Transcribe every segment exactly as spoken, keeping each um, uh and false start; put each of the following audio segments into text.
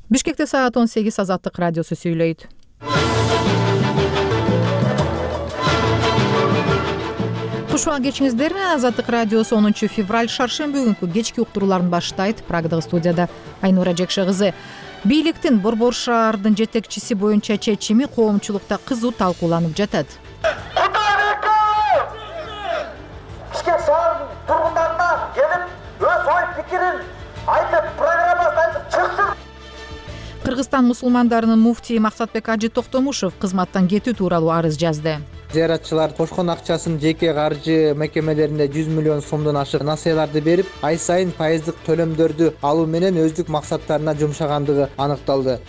Бишкекте саат он сегиз Азаттык радиосу сүйлөйт. Кушуан кечиңиздерби. Азаттык радиосу онунчу февраль шаршемби күнкү кечки уктурууларын баштайт. Прагдагы студияда Айнура Жекше кызы. Бийликтин Борбор шаардын жетекчиси боюнча чечими коомчулукта кызуу талкууланып жатат. Бишкек шаарынын тургундарына келип, өз ой пикирин айтып, программасын айтып чыксын. Кыргызстан мусулмандарынын муфтии Максатбек Ажы Токтомушев кызматтан кетүү тууралуу арыз жазды. Зыяратчылар кошкон акчасын жеке каржы мекемелерине жүз миллион сомдон ашык насыяларды берип, ай сайын пайыздык төлөмдөрдү алуу менен өздүк максаттарына жумшагандыгы аныкталды.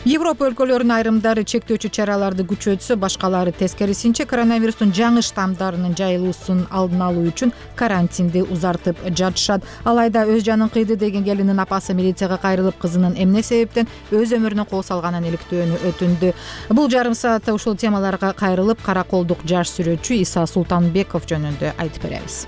Европа өлкөлөрүнүн айрымдары чектөөчү чараларды күчөтсө, башкалары тескерисинче коронавирустун жаңы штаммдарынын жайылуусун алдын алуу үчүн карантинди узартып жатышат. Алайда өз жанын кыйды деген келиндин апасы милицияга кайрылып, кызынын эмне себептен өз өмүрүнө кол салганын иликтөөнү өтүндү. Бул жарым саатта ушул темаларга кайрылып, караколдук жаш сүрөтчү Иса Султанбеков жөнүндө айтып беребиз.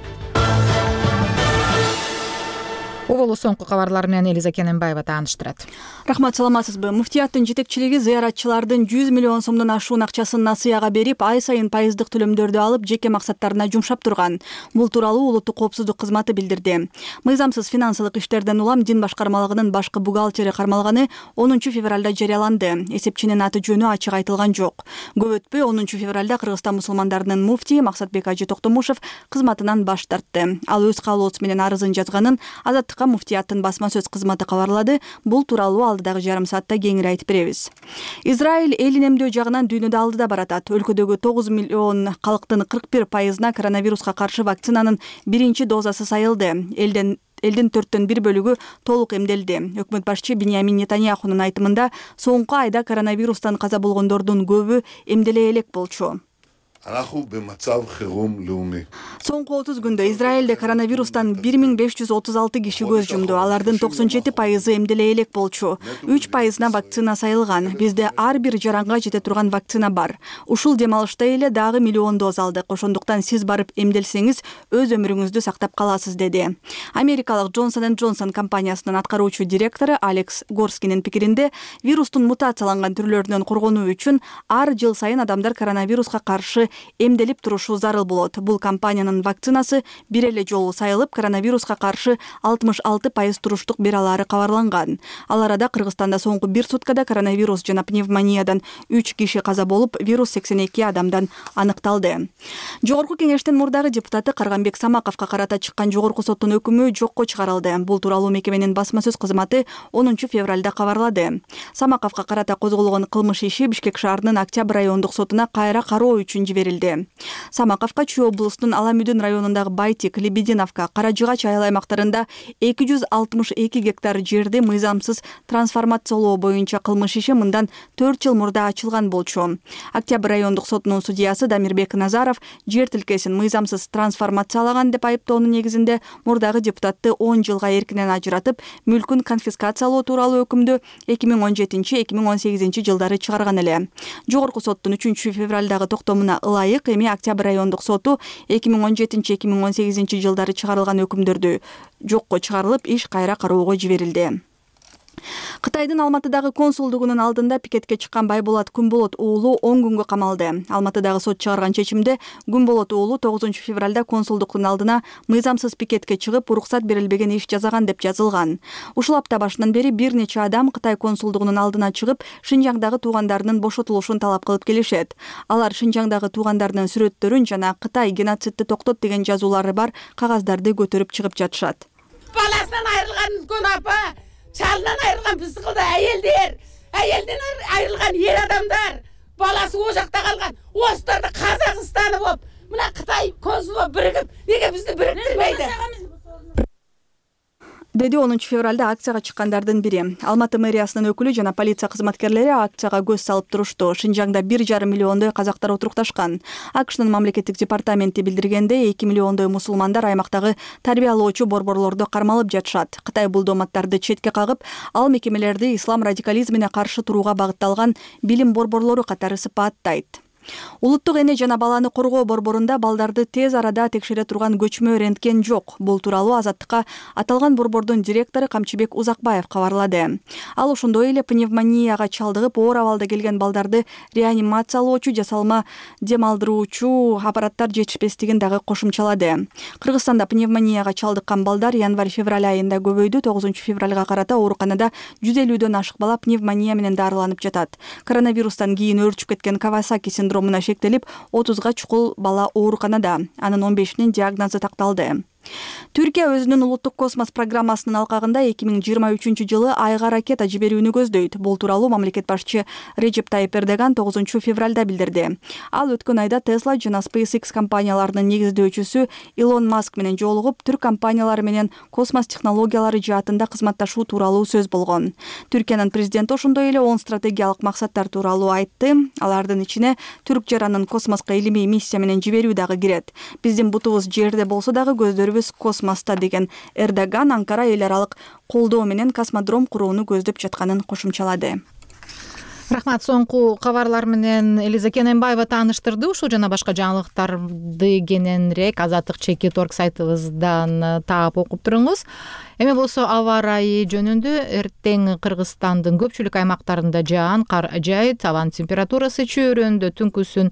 Оболу соңку кабарлар менен Элиза Кененбаева тааныштырат. Рахмат, саламатсызбы? Муфтияттын жетекчилиги зыяратчылардын жүз миллион сомдон ашуун акчасын насыяга берип, ай сайын пайыздык төлөмдөрдү алып, жеке максаттарына жумшап турган. Бул тууралуу Улуттук коопсуздук кызматы билдирди. Мыйзамсыз финансылык иштерден улам Дин башкармалыгынын башкы бухгалтери кармалганы онунчу февралда жарыяланды. Эсепчинин аты жөнү ачык айтылган жок. Көп өтпөй онунчу февралда Кыргызстан мусулмандарынын муфтии Максатбек Ажы Токтомушев кызматынан баш тартты. Ал өз каалоосу менен арызын жазганын Азаттыкка муфтияттын басма сөз кызматы кабарлады. Бул тууралуу алдыдагы жарым саатта кеңири айтып беребиз. Израиль элин эмдөө жагынан дүйнөдө алдыда баратат. Өлкөдөгү тогуз миллион калктын кырк бир пайызына коронавируска каршы вакцинанын биринчи дозасы сайылды. Элден Элдин төрттөн бир бөлүгү толук эмделди. Өкмөт башчы Биньямин Нетаньяхунун айтымында, соңку айда коронавирустан каза болгондордун көбү эмделе элек болчу. Соңку отуз күндө Израилде коронавирустан бир миң беш жүз отуз алты киши көз жумду. Алардын токсон жети пайызы эмделе элек болчу. үч пайызына вакцина сайылган. Бизде ар бир жаранга жете турган вакцина бар. Ушул демалышта эле дагы миллион доз алдык. Ошондуктан сиз барып эмделсеңиз, өз өмүрүңүздү сактап каласыз, деди. Америкалык Johnson энд Johnson компаниясынын аткаруучу директору Алекс Горскинин пикиринде, вирустун мутацияланган түрлөрүнөн коргонуу үчүн ар жыл сайын адамдар коронавируска каршы эмделип турушу зарыл болот. Бул компаниянын вакцинасы бир эле жолу сайылып, коронавируска каршы алтымыш алты пайыз туруштук бере алары кабарланган. Ал арада Кыргызстанда соңку бир суткада коронавирус жана пневмониядан үч киши каза болуп, вирус сексен эки адамдан аныкталды. Жогорку кеңештин мурдагы депутаты Карганбек Самаковго карата чыккан жогорку соттун өкүмү жокко чыгарылды. Бул тууралуу мекеменин басма сөз кызматы онунчу февралда кабарлады. Самаковго карата козголгон кылмыш иши Бишкек шаарынын Октябрь райондук сотуна кайра кароо үчүн жиберилди. Самаковго Чүй облусунун Аламүдүн районундагы Байтик, Лебединовка, Каражыгач айыл аймактарында эки жүз алтымыш эки гектар жерди мыйзамсыз трансформациялоо боюнча кылмыш иши мындан төрт жыл мурда ачылган болчу. Октябрь райондук сотунун судьясы Дамирбек Назаров жер тилкесин мыйзамсыз трансформациялаган деп айыптоонун негизинде мурдагы депутатты он жылга эркинен ажыратып, мүлкүн конфискациялоо тууралуу өкүмдү эки миң он жетинчи эки миң он сегизинчи жылдары чыгарган эле. Жогорку соттун үчүнчү февралдагы токтомуна ылайык эми Октябрь райондук соту эки миң он жетинчи эки миң он сегизинчи жылдары чыгарылган өкүмдөрдү жокко чыгарылып, иш кайра кароого жиберилди. Кытайдын Алматыдагы консулдугунун алдында пикетке чыккан Байболот Күнболот уулу он күнгө камалды. Алматыдагы сот чыгарган чечимде Күнболот уулу тогузунчу февралда консулдуктун алдына мыйзамсыз пикетке чыгып, уруксат берилбеген иш жасаган деп жазылган. Ушул апта башынан бери бир нече адам Кытай консулдугунун алдына чыгып, Шинжаңдагы туугандарынын бошотулушун талап кылып келишет. Алар Шинжаңдагы туугандарынын сүрөттөрүн жана Кытай геноцидти токтот деген жазуулары бар кагаздарды көтөрүп чыгып жатышат. Баласынан айрылган үлкөн апа, чалынан айрылган пысыкылда әйелдер, әйелден айрылган ер адамдар, баласы о жакта калган, осыларды Казакстаны болуп, мына Кытай консулы биригип, неге бизди бириктирбейди? деди онунчу февралда акцияга чыккандардын бири. Алматы мэриясынын өкүлү жана полиция кызматкерлери акцияга көз салып турушту. Шинжаңда бир жарым миллиондой казактар отурукташкан. АКШнын мамлекеттик департаменти билдиргендей, эки миллиондой мусулмандар аймактагы тарбиялоочу борборлордо кармалып жатышат. Кытай бул дооматтарды четке кагып, ал мекемелерди ислам радикализмине каршы турууга багытталган билим борборлору катары сыпаттайт. Улуттук эне жана баланы коргоо борборунда балдарды тез арада текшере турган көчмө рентген жок. Бул тууралуу Азаттыкка аталган борбордун директору Камчыбек Узакбаев кабарлады. Ал ошондой эле пневмонияга чалдыгып оор абалда келген балдарды реанимациялоочу жасалма дем алдыруучу аппараттар жетишпестигин дагы кошумчалады. Кыргызстанда пневмонияга чалдыккан балдар январь-февраль айында көбөйдү. тогузунчу февралга карата ооруканада жүз элүүдөн ашык бала пневмония менен дарыланып жатат. Коронавирустан кийин өөрчүп кеткен Кавасаки синдромуна шектелип, отузга чукул бала ооруканада. Анын он бешинин диагнозу такталды. Түркия өзүнүн улуттук космос программасынын алкагында эки миң жыйырма үчүнчү жылы айга ракета жиберүүнү көздөйт. Бул тууралуу мамлекет башчы Режеп Тайип Эрдоган тогузунчу февралда билдирди. Ал өткөн айда Tesla жана SpaceX компанияларынын негиздөөчүсү Илон Маск менен жолугуп, түрк компаниялары менен космос технологиялары жаатында кызматташуу тууралуу сөз болгон. Түркиянын президенти ошондой эле он стратегиялык максаттар тууралуу айтты. Алардын ичине түрк жаранын космоско илимий миссия менен жиберүү дагы кирет. Биздин бутубуз жерде болсо дагы көздөрүбүз космоста деген Эрдоган Анкара эл аралык колдоо менен космодром курууну көздөп жатканын кошумчалады. Рахмат. Соңку кабарлар менен Элиза Кененбаева тааныштырды. Ушул жана башка жаңылыктарды кененирээк Азаттык чекит точка орг сайтыбыздан таап окуп туруңуз. Эми болсо аба ырайы жөнүндө эртең Кыргызстандын көпчүлүк аймактарында жаан, кар жаайт, абанын температурасы чөйрөндө түнкүсүн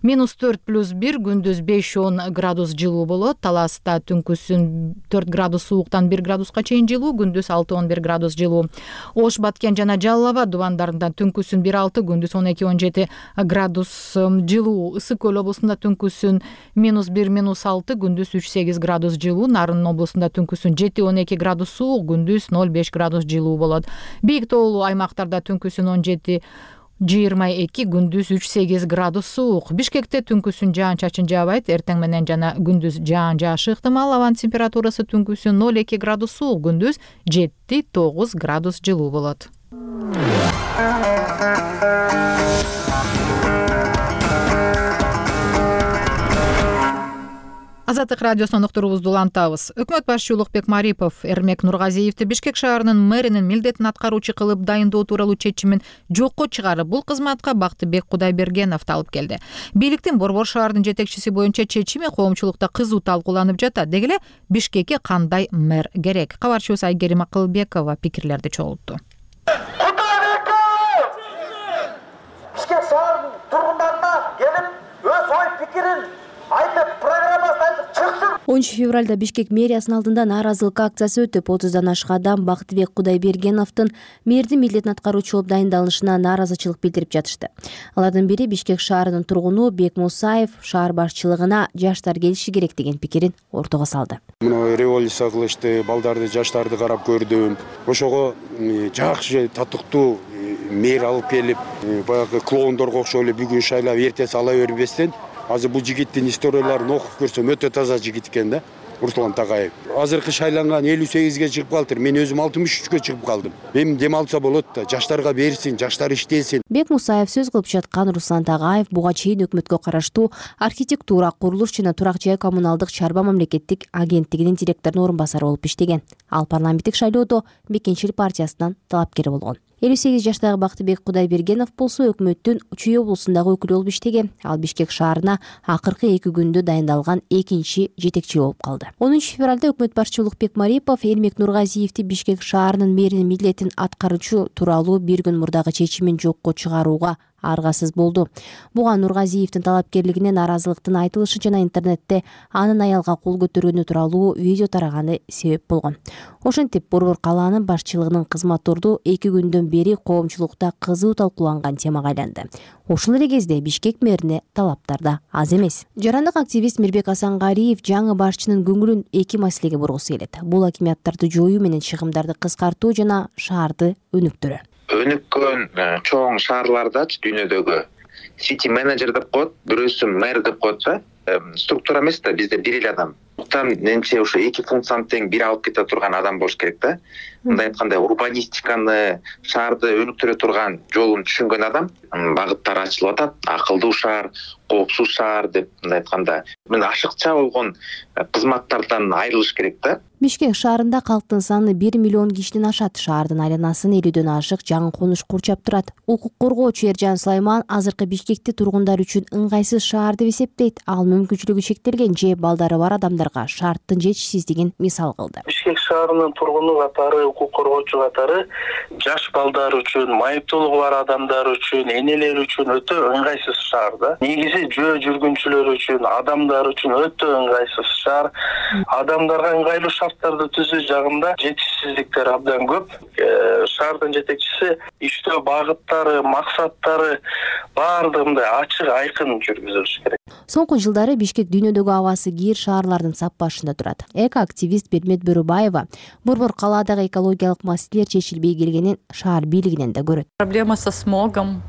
минус төрт плюс бир, күндүз беш он градус жылуу болот. Таласта түнкүсүн төрт градус сууктан бир градуска чейин жылуу, күндүз алты он бир градус жылуу. Ош, Баткен жана Жалал Абад дубандарында түнкүсүн бир алты, күндүз он эки он жети градус жылуу. Ысык Көл облусунда түнкүсүн минус бир минус алты, күндүз үч сегиз градус жылуу. Нарын облусунда түнкүсүн жети он эки градус суук, күндүз ноль беш градус жылуу болот. Бийик тоолуу аймактарда түнкүсүн он жети жыйырма эки, күндүз үч сегиз градус суук. Бишкекте түнкүсүн жаан-чачын жаабайт, эртең менен жана күндүз жаан жаашы ыктымал. Абанын температурасы түнкүсүн ноль эки градус суук, күндүз жети тогуз градус жылуу болот. Азаттык радиосунун уктуруубузду улантабыз. Өкмөт башчы Улукбек Марипов Эрмек Нургазиевди Бишкек шаарынын мэринин милдетин аткаруучу кылып дайындоо тууралуу чечимин жокко чыгарып, бул кызматка Бактыбек Кудайбергеновду алып келди. Бийликтин Борбор шаарынын жетекчиси боюнча чечими коомчулукта кызуу талкууланып жатат. Деги эле Бишкекке кандай мэр керек? Кабарчыбыз Айгерим Акылбекова пикирлерди чогултту. Бишкек шаарынын тургундарына келип, өз ой пикирин айтып, программасын айтып чыксын. онунчу февралда Бишкек мэриясынын алдында нааразылык акциясы өтүп, отуздан ашык адам Бактыбек Кудайбергеновдун мэрдин милдетин аткаруучу болуп дайындалышына нааразычылык билдирип жатышты. Алардын бири Бишкек шаарынын тургуну Бек Мусаев шаар башчылыгына жаштар келиши керек деген пикирин ортого салды. Мына революция кылышты, балдарды, жаштарды карап көрдүм. Ошого жакшы, татыктуу мэр алып келип, баягы клоундорго окшоп эле бүгүн шайлап, эртең сала бербестен, азыр бул жигиттин историяларын окуп көрсөм өтө таза жигит экен да. Руслан Такаев. Азыркы шайланган элүү сегизге чыгып калдыр. Мен өзүм алтымыш үчкө чыгып калдым. Эми дем алса болот да, жаштарга берсин, жаштар иштесин. Бек Мусаев сөз кылып жаткан Руслан Такаев буга чейин өкмөткө караштуу архитектура, курулуш жана турак жай коммуналдык чарба мамлекеттик агенттигинин директорунун орун басары болуп иштеген. Ал парламенттик шайлоодо Мекенчил партиясынан талапкер болгон. элүү сегиз жаштагы Бактыбек Кудайбергенов болсо өкмөттүн Чүй облусундагы өкүлү болуп иштеген. Ал Бишкек шаарына акыркы эки күндө дайындалган экинчи жетекчи болуп калды. онунчу февралда өкмөт башчы Улукбек Марипов Эрмек Нургазиевди Бишкек шаарынын мэринин милдетин аткаруучу тууралуу бир күн мурдагы чечимин жокко чыгарууга аргасыз болду. Буга Нургазиевдин талапкерлигине нааразылыктын айтылышы жана интернетте анын аялга кол көтөргөнү тууралуу видео тараганы себеп болгон. Ошентип Борбор калаанын башчылыгынын кызматорду эки күндөн бери коомчулукта кызуу талкууланган темага айланды. Ошол эле кезде Бишкек мэрине талаптар да аз эмес. Жарандык активист Мирбек Асангариев жаңы башчынын көңүлүн эки маселеге бургусу келет. Бул акимияттарды жоюу менен чыгымдарды кыскартуу жана шаарды өнүктүрүү. Өнүккөн чоң шаарлардачы дүйнөдөгү сити менеджер деп коет, бирөөсү мэр деп коет да. Структура эмес да, бизде бир эле адам менимче ошо эки функцияны тең бир алып кете турган адам болуш керек да. Мындай айтканда урбанистиканы, шаарды өнүктүрө турган жолун түшүнгөн адам, багыттар ачылып атат, акылдуу шаар, коопсуз шаар деп мындай айтканда, мен ашыкча болгон кызматтардан айрылыш керек да. Бишкек шаарында калктын саны бир миллион кишиден ашат. Шаардын айланасын элүүдөн ашык жаңы конуш курчап турат. Укук коргоочу Эржан Сулайман азыркы Бишкекти тургундар үчүн ыңгайсыз шаар деп эсептейт. Ал мүмкүнчүлүгү шектелген же балдары бар адамдарга шарттын жетишсиздигин мисал кылды. Бишкек шаарынын тургуну катары, укук коргоочу катары жаш балдар үчүн, майыптуулугу бар адамдар үчүн, энелер үчүн өтө ыңгайсыз шаар да. Негизи жөө жүргүнчүлөр үчүн, адамдар үчүн өтө ыңгайсыз шаар. Адамдарга ыңгайлуу шарттарды түзүү жагында жетишсиздиктер абдан көп. Шаардын жетекчиси иштөө багыттары, максаттары баардыгында ачык, айкын жүргүзүлүш керек. Соңку жылдары Бишкек дүйнөдөгү абасы кийир шаарлардын сап башында турат. Эко-активист Бермет Бөрөбаева борбор калаадагы экологиялык маселелер чечилбей келгенин шаар бийлигинен да көрөт. Проблема со смогом,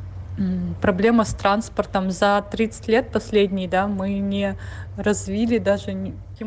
проблема с транспортом. За тридцать лет последние, да, мы не развили даже.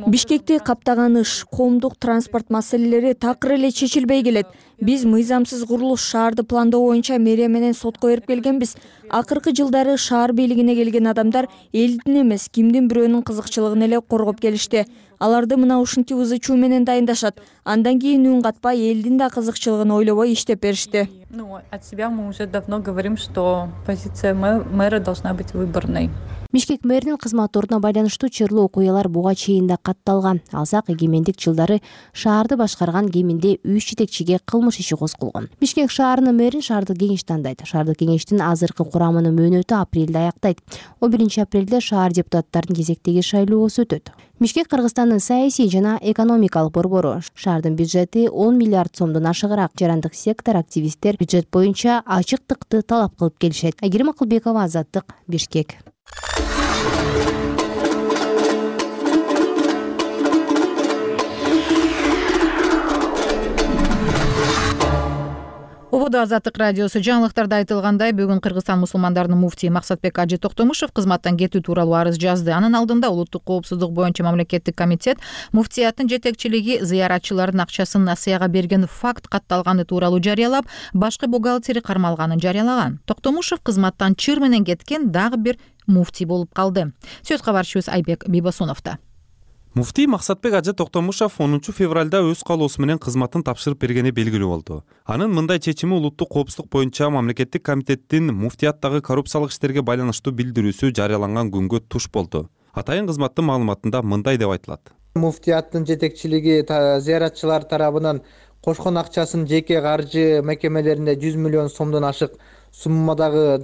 Бишкекти каптаган ыш, коомдук транспорт маселелери такыр эле чечилбей келет. Биз мыйзамсыз курулуш шаарды пландоо боюнча мэрия менен сотко берип келгенбиз. Акыркы жылдары шаар бийлигине келген адамдар элдин эмес, кимдин бирөөнүн кызыкчылыгын эле коргоп келишти. Аларды мына ушинтип ызы-чуу менен дайындашат. Андан кийин үн катпай элдин да кызыкчылыгын ойлобой иштеп беришти. Ну, от себя мы уже давно говорим, что позиция мэра должна быть выборной. Бишкек мэринин кызмат ордуна байланыштуу чырлуу окуялар буга чейин да катталган. Алсак эгемендик жылдары шаарды башкарган кеминде үч жетекчиге кылмыш иши козголгон. Бишкек шаарынын мэрин шаардык кеңеш тандайт. Шаардык кеңештин азыркы курамынын мөөнөтү апрелде аяктайт. он биринчи апрелде шаар депутаттарынын кезектеги шайлоосу өтөт. Бишкек Кыргызстандын саясий жана экономикалык борбору. Шаардын бюджети он миллиард сомдон ашыгыраак. Жарандык сектор активисттер бюджет боюнча ачыктыкты талап кылып келишет. Айгерим Акылбекова, Азаттык, Бишкек. Ободо Азаттык радиосу. Жаңылыктарда айтылгандай, бүгүн Кыргызстан мусулмандарынын муфтии Максатбек Ажы Токтомушев кызматтан кетүү тууралуу арыз жазды. Анын алдында улуттук коопсуздук боюнча мамлекеттик комитет муфтияттын жетекчилиги зыяратчылардын акчасын насыяга берген факт катталганы тууралуу жарыялап, башкы бухгалтери кармалганын жарыялаган. Токтомушев кызматтан чыр менен кеткен дагы бир муфтий болуп калды. Сөз кабарчыбыз Айбек Бибосуновдо. Муфтий Максатбек Ажы Токтомушев онунчу февралда өз каалоосу менен кызматын тапшырып бергени белгилүү болду. Анын мындай чечими улуттук коопсуздук боюнча мамлекеттик комитеттин муфтияттагы коррупциялык иштерге байланыштуу билдирүүсү жарыяланган күнгө туш болду. Атайын кызматтын маалыматында мындай деп айтылат. Муфтияттын жетекчилиги зыяратчылар тарабынан кошкон акчасын жеке каржы мекемелерине жүз миллион сомдон ашык суммадагы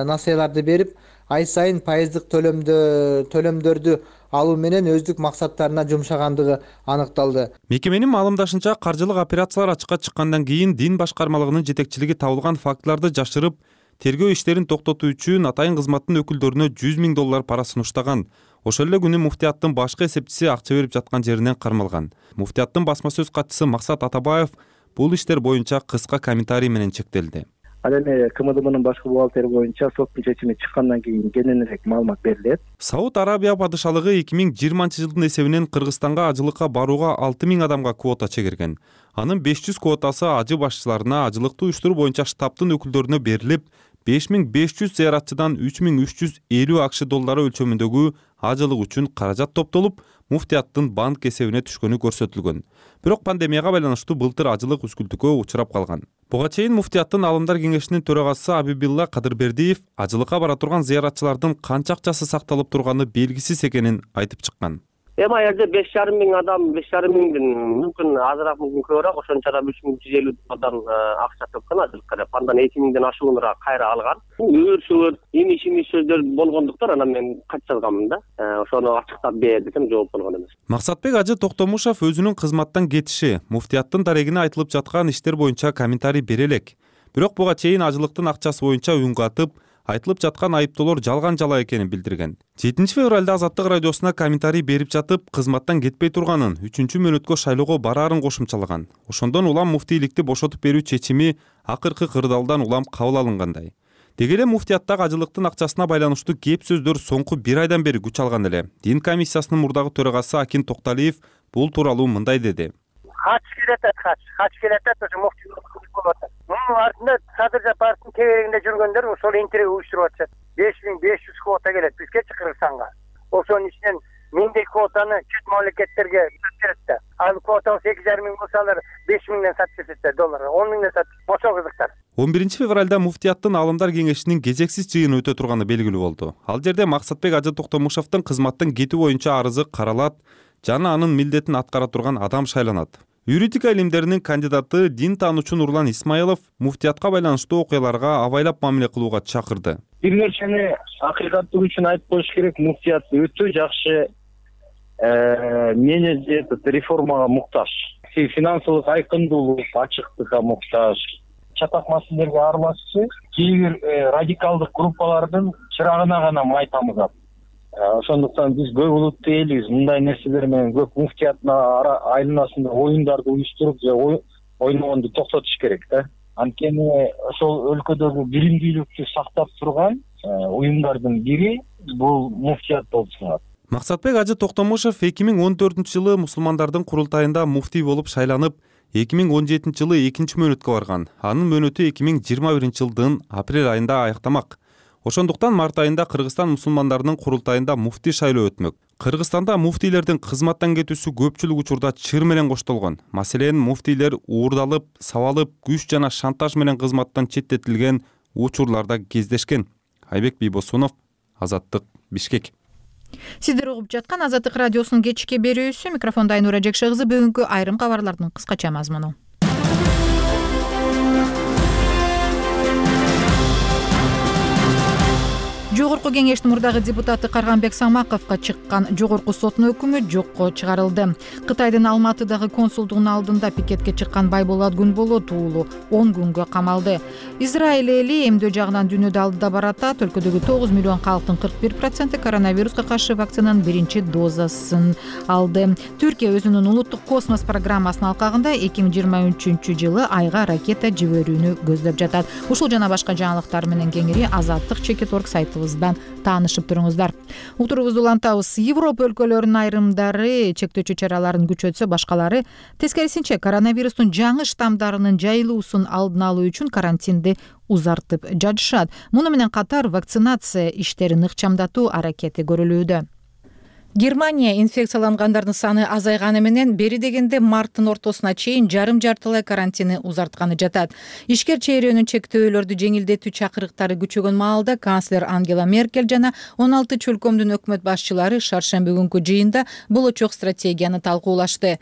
насыяларды берип, ай сайын пайыздык төлөмдөрдү алуу менен өздүк максаттарына жумшагандыгы аныкталды. Мекеменин маалымдашынча, каржылык операциялар ачыкка чыккандан кийин дин башкармалыгынын жетекчилиги табылган фактыларды жашырып, тергөө иштерин токтотуу үчүн атайын кызматтын өкүлдөрүнө жүз миң доллар пара сунуштаган. Ошол эле күнү муфтияттын башкы эсепчиси акча берип жаткан жеринен кармалган. Муфтияттын басма сөз катчысы Максат Атабаев бул иштер боюнча кыска комментарий менен чектелди. Ал эми КМДБнын башкы бухгалтери боюнча соттун чечими чыккандан кийин кененирээк маалымат берилет. Сауд Арабия падышалыгы эки миң жыйырманчы жылдын эсебинен Кыргызстанга ажылыкка барууга алты миң адамга квота чегирген. Анын беш жүз квотасы ажы башчыларына, ажылыктуу уюштуруу боюнча штабтын өкүлдөрүнө берилип, беш миң беш жүз зыяратчыдан үч миң үч жүз элүү акш доллары өлчөмүндөгү ажылык үчүн каражат топтолуп, муфтияттын банк эсебине түшкөнү көрсөтүлгөн. Бирок пандемияга байланыштуу былтыр ажылык үзгүлтүккө учурап калган. Буга чейин муфтияттын алымдар кеңешинин төрагасы Абибилла Кадырбердиев ажылыкка бара турган зыяратчылардын канча акчасы сакталып турганы белгисиз экенин айтып чыккан. Эми ал жерде беш жарым миң адам, беш жарым миңдин мүмкүн азыраак, мүмкүн көбүрөөк, ошончо үч миң жүз элүү адам акча төккөн ажылыкка деп. Андан эки миңден ашууnuраак кайра алган. Өөр-шөөр, имиш-имиш сөздөр болгондуктан анан мен кат жазганмын да. Ошону ачыктап бер десем жооп болгон эмес. Максатбек Ажы Токтомушев өзүнүн кызматтан кетиши, муфтияттын дарегине айтылып жаткан иштер боюнча комментарий бере элек. Бирок буга чейин ажылыктын акчасы боюнча үн катып, айтылып жаткан айыптоолор жалган жала экенин билдирген. жетинчи февралда Азаттык радиосуна комментарий берип жатып, кызматтан кетпей турганын, үчүнчү мөөнөткө шайлоого бараарын кошумчалаган. Ошондон улам муфтийликти бошотуп берүү чечими акыркы кырдаалдан улам кабыл алынгандай. Деги эле муфтияттагы ажылыктын акчасына байланыштуу кеп сөздөр соңку бир айдан бери күч алган эле. Дин комиссиясынын мурдагы төрагасы Акин Токталиев бул тууралуу мындай деди. Хач келатат, хач, хач келатат, ошо муфтий болуп атат. Мунун артында Садыр Жапаровдун тегерегинде жүргөндөр ошол интервью уюштуруп атышат. беш миң беш жүз квота келет бизгечи Кыргызстанга. Ошонун ичинен миңдей квотаны чет мамлекеттерге берет да. Ал квотаны эки жарым миң болсо алар беш миңден сатып кетет долларга, он миңден сатып. Ошол кызыктар. он биринчи февралда муфтияттын Аалымдар кеңешинин кезексиз жыйыны өтө турганы белгилүү болду. Ал жерде Максатбек Ажы Токтомушевдин кызматтан кетүү боюнча арызы каралат жана анын милдетин аткара турган адам шайланат. Юридика илимдеринин кандидаты дин таануучу Нурлан Исмаилов муфтиятка байланыштуу окуяларга абайлап мамиле кылууга чакырды. Бир нерсени акыйкаттык үчүн айтып коюш керек, муфтият өтө жакшы менеджер реформага муктаж. Финансылык айкындуулук, ачыктыкка муктаж. Чатак маселелерге аралашчу, кээ бир радикалдык группалардын чырагына гана май тамызат. Ошондуктан биз көп улуттуу элбиз, мындай нерселер менен көп муфтияттын айланасында оюндарды уюштуруп же ойногонду токтотуш керек да. Анткени ошол өлкөдөгү билимдүүлүктү сактап турган уюмдардын бири бул муфтият болуп саналат. Максатбек Ажы Токтомушев эки миң он төртүнчү жылы мусулмандардын курултайында муфтий болуп шайланып, эки миң он жетинчи жылы экинчи мөөнөткө барган. Анын мөөнөтү эки миң жыйырма биринчи жылдын апрель айында аяктамак. Ошондуктан март айында Кыргызстан мусулмандарынын курултайында муфтий шайлоо өтмөк. Кыргызстанда муфтийлердин кызматтан кетүүсү көпчүлүк учурда чыр менен коштолгон. Маселен, муфтийлер уурдалып, сабалып, күч жана шантаж менен кызматтан четтетилген учурларда кездешкен. Айбек Бийбосунов, Азаттык, Бишкек. Сиздер угуп жаткан Азаттык радиосунун кечки берүүсү. Микрофондо Айнура Жекше кызы. Бүгүнкү айрым кабарлардын кыскача мазмуну. Жогорку кеңештин мурдагы депутаты Карганбек Самаковго чыккан жогорку соттун өкүмү жокко чыгарылды. Кытайдын Алматыдагы консулдугунун алдында пикетке чыккан Байболот Күнболот уулу он күнгө камалды. Израиль эли эмдөө жагынан дүйнөдө алдыда баратат. Өлкөдөгү тогуз миллион калктын кырк бир проценти коронавируска каршы вакцинанын биринчи дозасын алды. Түркия өзүнүн улуттук космос программасынын алкагында эки миң жыйырма үчүнчү жылы айга ракета жиберүүнү көздөп жатат. Ушул жана башка жаңылыктар менен кеңири Азаттык чекит орг сайтыбызда таанышып туруңуздар. Утурубузду улантабыз. Европа өлкөлөрүнүн айрымдары чектөөчү чараларын күчөтсө, башкалары тескерисинче коронавирустун жаңы штамдарынын жайылуусун алдын алуу үчүн карантинди узартып жатышат. Муну менен катар вакцинация иштерин ыкчамдатуу аракети көрүлүүдө. Германия инфекциялангандардын саны азайганы менен бери дегенде марттын ортосуна чейин жарым-жартылай карантини узартканы жатат. Ишкер чейрөөнүн чектөөлөрдү жеңилдетүү чакырыктары күчөгөн маалда канцлер Ангела Меркель жана он алты чөлкөмдүн өкмөт башчылары шаршемби күнкү жыйында болочок стратегияны талкуулашты.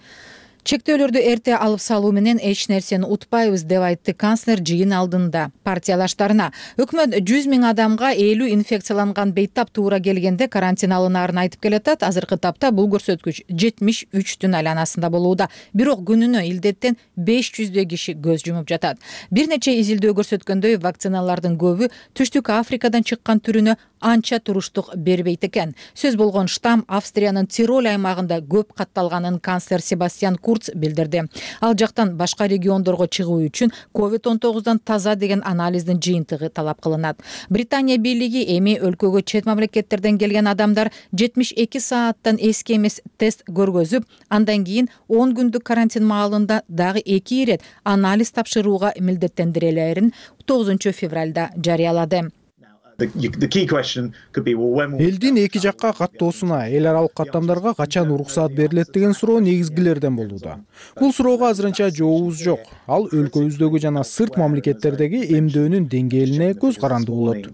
Чектөөлөрдү эрте алып салуу менен эч нерсени утпайбыз деп айтты канцлер жыйын алдында партиялаштарына. Өкмөт жүз миң адамга элүү инфекцияланган бейтап туура келгенде карантин алынаарын айтып келатат. Азыркы тапта бул көрсөткүч жетимиш үчтүн айланасында болууда. Бирок күнүнө илдеттен беш жүздөй киши көз жумуп жатат. Бир нече изилдөө көрсөткөндөй, вакциналардын көбү Түштүк Африкадан чыккан түрүнө анча туруштук бербейт экен. Сөз болгон штамм Австриянын Тироль аймагында көп катталганын канцлер Себастьян Курц билдирди. Ал жактан башка региондорго чыгуу үчүн ковид он тогуздан таза деген анализдин жыйынтыгы талап кылынат. Британия бийлиги эми өлкөгө чет мамлекеттерден келген адамдар жетимиш эки сааттан эски эмес тест көргөзүп, андан кийин он күндүк карантин маалында дагы эки ирет анализ тапшырууга милдеттендирилерин тогузунчу февралда жарыялады. Элдин эки жакка каттоосуна, эл аралык каттамдарга качан уруксаат берилет деген суроо негизгилерден болууда. Бул суроого азырынча жообубуз жок. Ал өлкөбүздөгү жана сырт мамлекеттердеги эмдөөнүн деңгээлине көз каранды болот.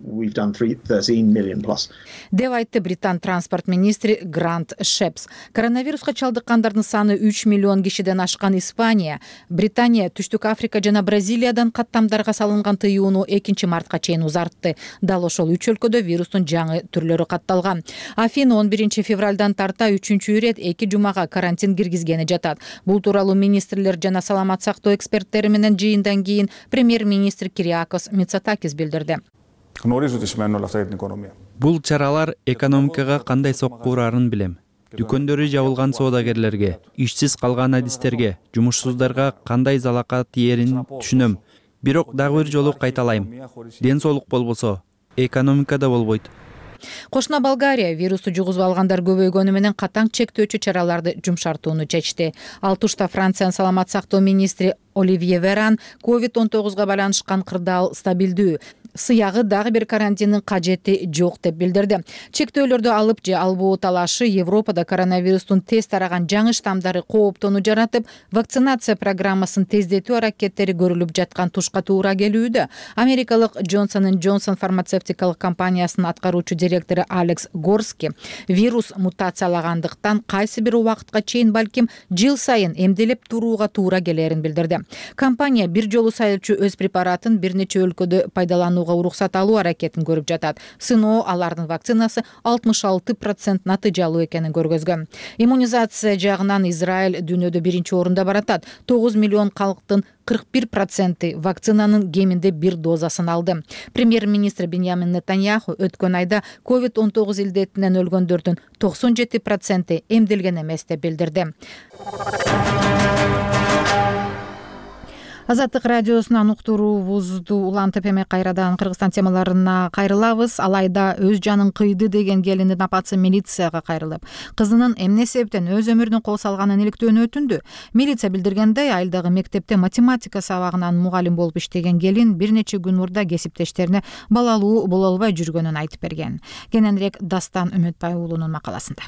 Деп айтты Британ транспорт министри Грант Шепс. Коронавируска чалдыккандардын саны үч миллион кишиден ашкан Испания, Британия, Түштүк Африка жана Бразилиядан каттамдарга салынган тыюуну экинчи мартка чейин узартты. Дал ошол үч өлкөдө вирустун жаңы түрлөрү катталган. Афин он биринчи февралдан тарта үчүнчү ирет эки жумага карантин киргизгени жатат. Бул тууралуу министрлер жана саламат сактоо эксперттери менен жыйындан кийин премьер-министр Кириакос Мицотакис билдирди. Бул чаралар экономикага кандай сокку урарын билем. Дүкөндөрү жабылган соодагерлерге, ишсиз калган адистерге, жумушсуздарга кандай залака тиерин түшүнөм. бирок дагы бир жолу кайталайм, ден соолук болбосо экономика да болбойт. Кошуна Болгария вирусту жугузуп алгандар көбөйгөнү менен катаң чектөөчү чараларды жумшартууну чечти. Ал тушта Франциянын саламат сактоо министри Оливье Веран ковид он тогузга байланышкан кырдаал стабилдүү, сыягы дагы бир карантиндин кажети жок деп билдирди. Чектөөлөрдү алып же албоо талашы Европада коронавирустун тез тараган жаңы штамдары кооптоону жаратып, вакцинация программасын тездетүү аракеттери көрүлүп жаткан тушка туура келүүдө. Америкалык Johnson энд Johnson фармацевтикалык компаниясынын аткаруучу директору Алекс Горски вирус мутациялагандыктан кайсы бир убакытка чейин балким жыл сайын эмделеп турууга туура келерин билдирди. Компания бир жолу сайылчу өз препаратын бир нече өлкөдө пайдалануу уруксат алуу аракетин көрүп жатат. Сыноо алардын вакцинасы алтымыш алты процент натыйжалуу экенин көргөзгөн. Иммунизация жагынан Израиль дүйнөдө биринчи орунда баратат. тогуз миллион калктын кырк бир проценти вакцинанын кеминде бир дозасын алды. Премьер-министр Беньямин Нетаньяху өткөн айда ковид он тогуз илдетинен өлгөндөрдүн токсон жети проценти эмделген эмес деп билдирди. Азаттык радиосунан уктуруубузду улантып эми кайрадан Кыргызстан темаларына кайрылабыз. Алайда өз жанын кыйды деген келиндин апасы милицияга кайрылып, кызынын эмне себептен өз өмүрүнө кол салганын иликтөөнү өтүндү. Милиция билдиргендей, айылдагы мектепте математика сабагынан мугалим болуп иштеген келин бир нече күн мурда кесиптештерине балалуу боло албай жүргөнүн айтып берген. Кененирээк Дастан Үмүтбай уулунун макаласында.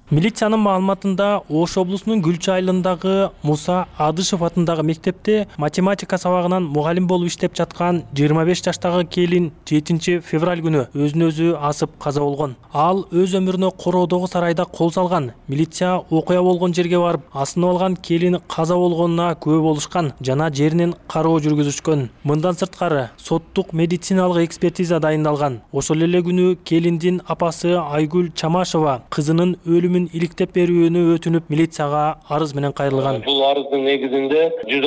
Милициянын маалыматында Ош облусунун Гүлчү айылындагы Муса Адышев атындагы мектепте математика сабагынан мугалим болуп иштеп жаткан жыйырма беш жаштагы келин жетинчи февраль күнү өзүн өзү асып каза болгон. Ал өз өмүрүнө короодогу сарайда кол салган. Милиция окуя болгон жерге барып, асынып алган келин каза болгонуна күбө болушкан жана жеринен кароо жүргүзүшкөн. Мындан сырткары соттук медициналык экспертиза дайындалган. Ошол эле күнү келиндин апасы Айгүл Чамашева кызынын өлүмүн иликтеп берүүнү өтүнүп милицияга арыз менен кайрылган. Бул арыздын негизинде жүз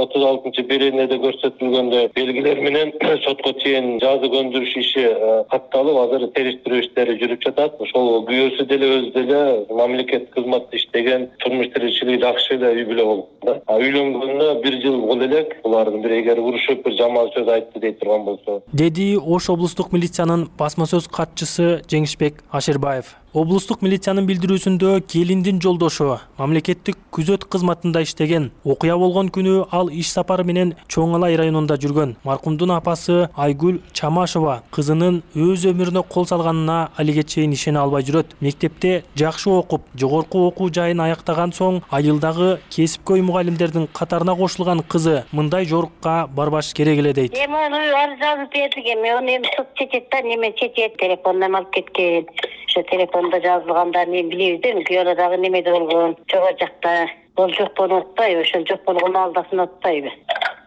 отуз алтынчы беренеде көрсөтүлгөндөй белгилер менен сотко чейин жазы көндүрүш иши катталып, азыр териштирүү иштери жүрүп жатат. Ошол күйөөсү деле өзү деле мамлекет кызматта иштеген, турмуш тиричилиги жакшы эле үй бүлө болгон. Үйлөнгөнүнө бир жыл болду элек. Булардын бири эгер урушуп бир жаман сөз айтты дейт турган болсо. Деди Ош облустук милициянын басма сөз катчысы Жеңишбек Ашербаев. Облустук милициянын билдирүүсүндө келиндин жолдошу мамлекеттик күзөт кызматында иштеген. Окуя болгон күнү ал иш сапары менен Чоң Алай районунда жүргөн. Маркумдун апасы Айгүл Чамашева кызынын өз өмүрүнө кол салганына алиге чейин ишене албай жүрөт. Мектепте жакшы окуп, жогорку окуу жайын аяктаган соң айылдагы кесипкөй мугалимдердин катарына кошулган кызы мындай жорукка барбаш керек эле дейт. Эми арыз жазып бердик, эми аны эми суд чечет да, неме чечет, телефондон алып кеткен. Ошо телефондо жазылгандарын эми билебиз да, күйөөдө дагы немеде болгон, жогору жакта бол жок болуп атпайбы, ошол жок болгону алдасын атпайбы.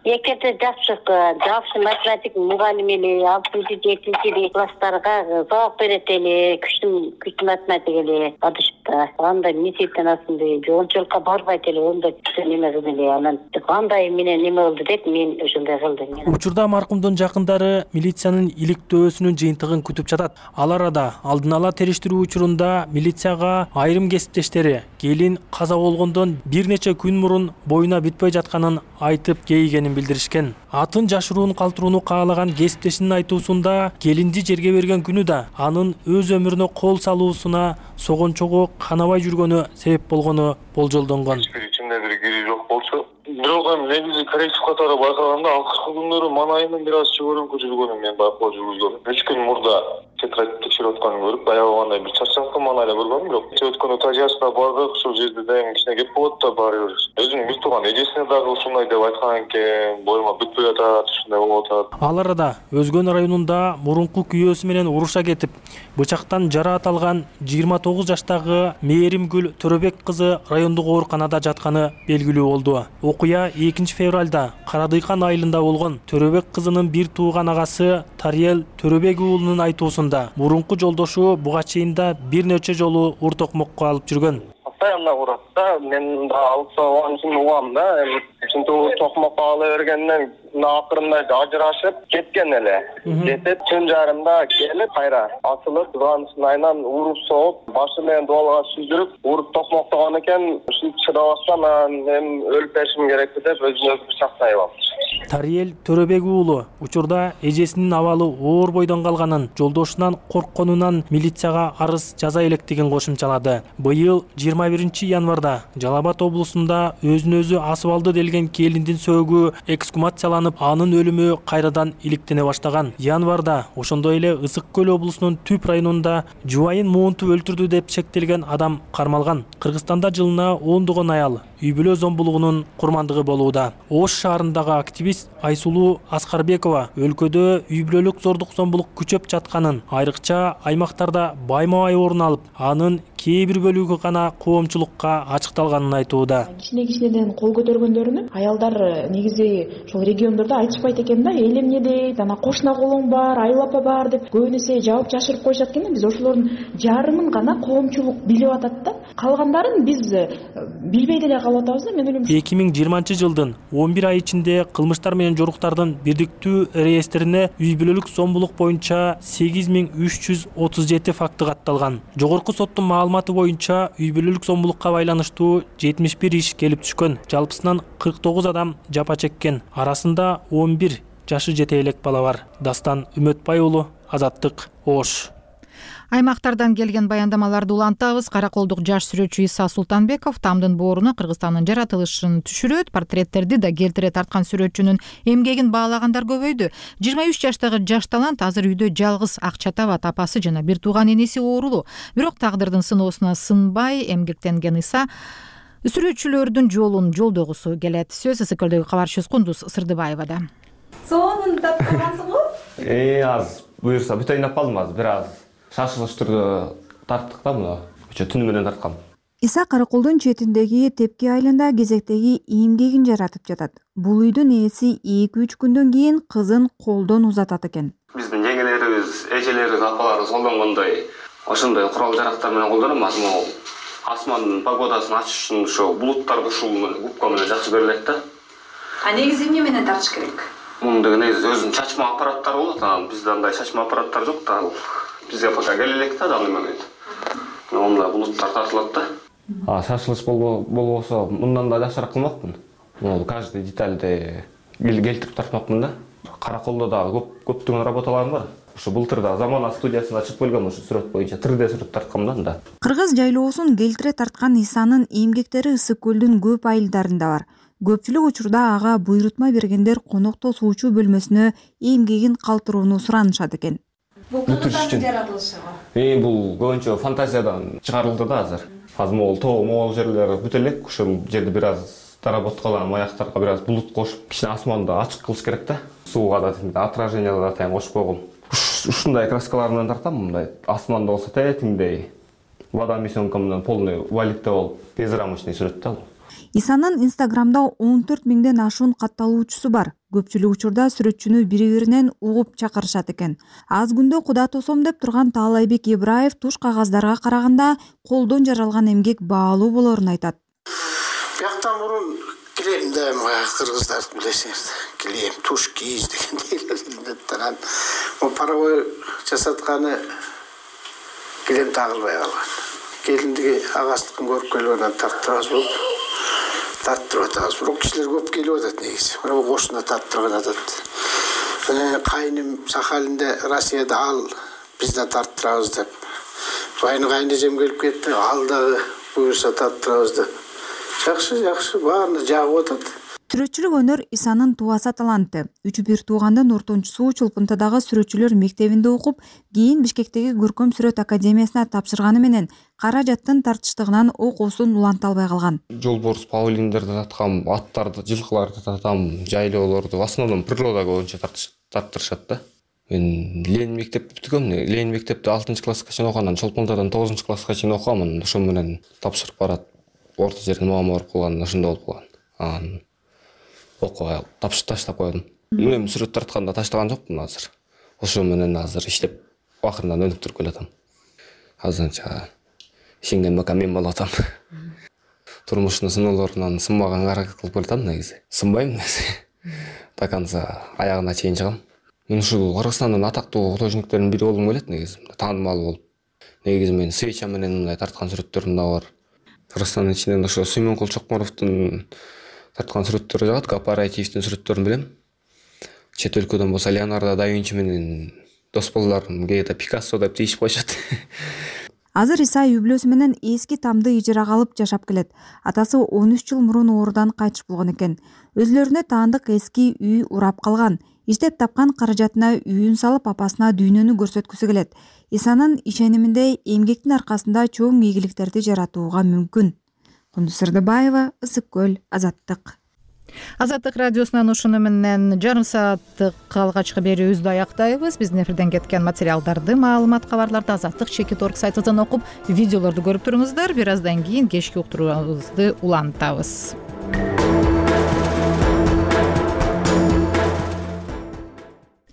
Экеде жакшы, жакшы математик мугалим эле, алтынчы жетинчи класстарга сабак берет эле, күчтүү күчтүү математик эле, адышта. Андай мектептен асынды, жоончулукка барбайт эле, онда неме кылды эле, анан кандай менен неме болду деп мен ошондой кылдым. Учурда маркумдун жакындары милициянын иликтөөсүнүн жыйынтыгын күтүп жатат. Ал арада алдын ала териштирүү учурунда милицияга айрым кесиптештери келин каза болгондон бир нече күн мурун боюна бүтпөй жатканын айтып кейигенин билдиришкен. Атын жашыруун калтырууну каалаган кесиптешинин айтуусунда келинди жерге берген күнү да анын өз өмүрүнө кол салуусуна согончогу канабай жүргөнү себеп болгону болжолдонгон. Ичинде бир кири жок болчу. Бирок эми негизи корректив катары байкаганда акыркы күндөрү манайымын бир аз чыгырыңкы жүргөнүн мен байкоо жүргүзгөм. үч күн мурда тетрадь текшерип атканын көрүп, аябагандай бир чарчактым, мана эле көргөм, бирок өткөн этажына бардык, ушул жерде дайым кичине кеп болот да баары бир. Өзүнүн бир тууган эжесине дагы ушундай деп айткан экен, боюма бүтпөй атат, ушундай болуп атат. Ал арада Өзгөн районунда мурунку күйөөсү менен уруша кетип, бычактан жараат алган жыйырма тогуз жаштагы Мээримгүл Төрөбек кызы райондук ооруканада жатканы белгилүү болду. Окуя экинчи февралда Карадыйкан айылында болгон. Төрөбек кызынын бир тууган агасы Тариел Төрөбек уулунун айтуусунда мурунку жолдошу буга чейин да бир нече жолу ур токмокко алып жүргөн. Постоянно урат да, мен да алып салган үчүн угам да, эми ушинтип токмокко ала бергенден акырында ажырашып кеткен эле. Кетип түн жарымда келип кайра асылып, кызганычын айынан уруп соғып, башы менен дуалга сүздүрүп, уруп токмоктогон экен. Ушинтип чыдабастан эми өлүп беришим керек деп өзүн өзү бычактап алып. Тариел Төрөбек уулу учурда эжесинин абалы оор бойдон калганын, жолдошунан коркконунан милицияга арыз жаза электигин кошумчалады. Быйыл жыйырма биринчи январда Жалал Абад облусунда өзүн өзү асып алды делген келиндин сөөгү эксгумацияланып, анын өлүмү кайрадан иликтене баштаган. Январда ошондой эле Ысык көл облусунун Түп районунда жубайын Муунту өлтүрдү деп шектелген адам кармалган. Кыргызстанда жылына ондогон аял үй бүлө зомбулугунун курмандыгы болууда. Ош шаарындагы активист Айсулуу Аскарбекова өлкөдө үй бүлөлүк зордук зомбулук күчөп жатканын, айрыкча аймактарда байма-бай орун алып, анын кээ бир бөлүгү гана коомчулукка ачыкталганын айтууда. Кичине кичинеден кол көтөргөндөрүнү аялдар негизи ошол региондордо айтышпайт экен да, эл эмне дейт, анан кошуна колуң бар, айыл апа бар деп көбүн эсе жабып жашырып коюшат экен да. Биз ошолордун жарымын гана коомчулук билип атат да. Калгандарын биз билбей деле калып атабыз да. Мен ойлойм эки миң жыйырманчы жылдын он бир ай ичинде кылмыштар менен жоруктардын бирдиктүү реестрине үй бүлөлүк зомбулук боюнча сегиз миң үч жүз отуз жети факты катталган. Жогорку соттун маалыматы боюнча үй бүлөлүк зомбулукка байланыштуу жетимиш бир иш келип түшкөн. Жалпысынан кырк тогуз адам жапа чеккен. Арасында он бир жашы жете элек бала бар. Дастан Үмөтбай уулу, Азаттык, Ош. Аймактардан келген баяндамаларды улантабыз. Караколдук жаш сүрөтчү Иса Султанбеков тамдын бооруна Кыргызстандын жаратылышын түшүрөт, портреттерди да келтире тарткан сүрөтчүнүн эмгегин баалагандар көбөйдү. жыйырма үч жаштагы жаш талант азыр үйдө жалгыз, акча табат, апасы жана бир тууган энеси оорулуу. Бирок тагдырдын сыноосуна сынбай эмгектенген Иса сүрөтчүлөрдүн жолун жолдогусу келет. Сөз Ысык көлдөгү кабарчыбыз Кундуз Сырдыбаевада. Сонун тапкансың го? Э, аз буюрса бүт ойноп калдым, аз бир аз шашылыш түрдө тарттык да муну. Ошо түнү менен тарткам. Иса Караколдун четиндеги Тепки айылында кезектеги эмгегин жаратып жатат. Бул үйдүн ээси эки үч күндөн кийин кызын колдон узатат экен. Биздин жеңелерибиз, эжелерибиз, апаларыбыз колдонгондой ошондой курал жарактар менен колдонобуз. Могу асмандын погодасын ачыш үчүн ошо булуттар кушуу менен губка менен жакшы берилет да. А негизи эмне менен тартыш керек? Мунун деген негизи өзүнүн чачма аппараттары болот. Анан бизде андай чачма аппараттар жок да. Бизге пока келе элек да аны менен. Онда булуттар тартылат да. А шашылыш болбосо мындан да жакшыраак кылмакмын. Могу каждый детальди келтирип тартмакмын да. Караколдо дагы көп көптөгөн работаларым бар. Ошо былтыр да Замана студиясына ачып келгем, ошо сүрөт боюнча три дэ сүрөт тарткам да анда. Кыргыз жайлоосун келтире тарткан Исанын эмгектери Ысык көлдүн көп айылдарында бар. Көпчүлүк учурда ага буйрутма бергендер конокто суучу бөлмөсүнө эмгегин калтырууну суранышат экен. Бул кыргыздардын жаратылышы го. Э, бул көбүнчө фантазиядан чыгарылды да азыр. Азыр могул тоо могул жерлер бүт элек, ошол жерде бир аз доработкалар, аяктарга бир аз булут кошуп, кичине асманды ачык кылыш керек да. Сууга да отражение да тайм кошуп койгом. Ушундай краскалар менен тартам, мындай асманда болсо тетиңдей, водомесёнка менен полный валикте болуп, безрамочный сүрөт да. Исанын Инстаграмда он төрт миңден ашуун катталуучусу бар. Көпчүлүк учурда сүрөтчүнү бири-биринен угуп чакырышат экен. Аз күндө куда тосом деп турган Таалайбек Ибраев туш кагаздарга караганда колдон жаралган эмгек баалуу болорун айтат. Бияктан мурун килем да кыргыздар билесиңер, килем, туш кийиз дегендей таран. О паровой жасатканы килем тагылбай калган. Келиндиги агастыкын көрүп келип анан тарттырабыз болуп. Тарттырып атабыз. Бирок кишилер көп келип атат негизи. Мына кошуна тарттырган атат. Мына кайным Сахалинде, Россияда ал биз да тарттырабыз деп. Байны кайнежем келип кетти, ал дагы буюрса тарттырабыз деп. Жакшы, жакшы, баарына жагып атат. Сүрөтчүлүк өнөр Исанын тубаса таланты. Үч бир туугандын ортончусу Чолпунтадагы сүрөтчүлөр мектебинде окуп, кийин Бишкектеги Көркөм сүрөт академиясына тапшырганы менен каражаттын тартыштыгынан окуусун уланта албай калган. Жолборс, павлиндерди таткам, аттарды, жылкыларды татам, жайлоолорду, в основном природа боюнча тарттырышат да. Мен Ленин мектепти бүткөм, Ленин мектепти алтынчы класска чейин окугандан Чолпунтадан тогузунчу класска чейин окугам, ошо менен тапшырып барат. Орто жерден муамма барып калган, ошондой болуп калган. Анан окубай тапшырып таштап койдум. Мен сүрөт тартканда таштаган жокмун азыр. Ошо менен азыр иштеп акырындан өнүктүрүп келатам. Азырынча ишенген бака мен болуп атам. Турмуштун сыноолорунан сынбаганга аракет кылып келатам негизи. Сынбайм негизи. До конца аягына чейин чыгам. Мен ушул Кыргызстандын атактуу художниктеринин бири болгум келет негизи. Таанымал болуп. Негизи мен свеча менен мындай тарткан сүрөттөрүм да бар. Кыргызстандын ичинен ошо Сүймөнкул Чокморовдун тарткан сүрөттөрү жагат, кооперативдин сүрөттөрүн билем. чет өлкөдөн болсо Леонардо да Винчи менен дос болдуларым, кээде Пикассо деп тийишип коюшат. Азыр Исай үй бүлөсү менен эски тамды ижарага алып жашап келет. Атасы он үч жыл мурун оорудан кайтыш болгон экен. Өзүлөрүнө таандык эски үй урап калган. Иштеп тапкан каражатына үйүн салып, апасына дүйнөнү көрсөткүсү келет. Исанын ишениминде эмгектин аркасында чоң ийгиликтерди жаратууга мүмкүн. Кундуз Сырдыбаева, Ысык көл, Азаттык. Азаттык радиосунан ушуну менен жарым сааттык алгачкы берүүбүздү аяктайбыз. Биздин эфирден кеткен материалдарды, маалымат, кабарларды азаттык чекит орг сайтынан окуп, видеолорду көрүп туруңуздар. Бир аздан кийин кечки уктуруубузду улантабыз.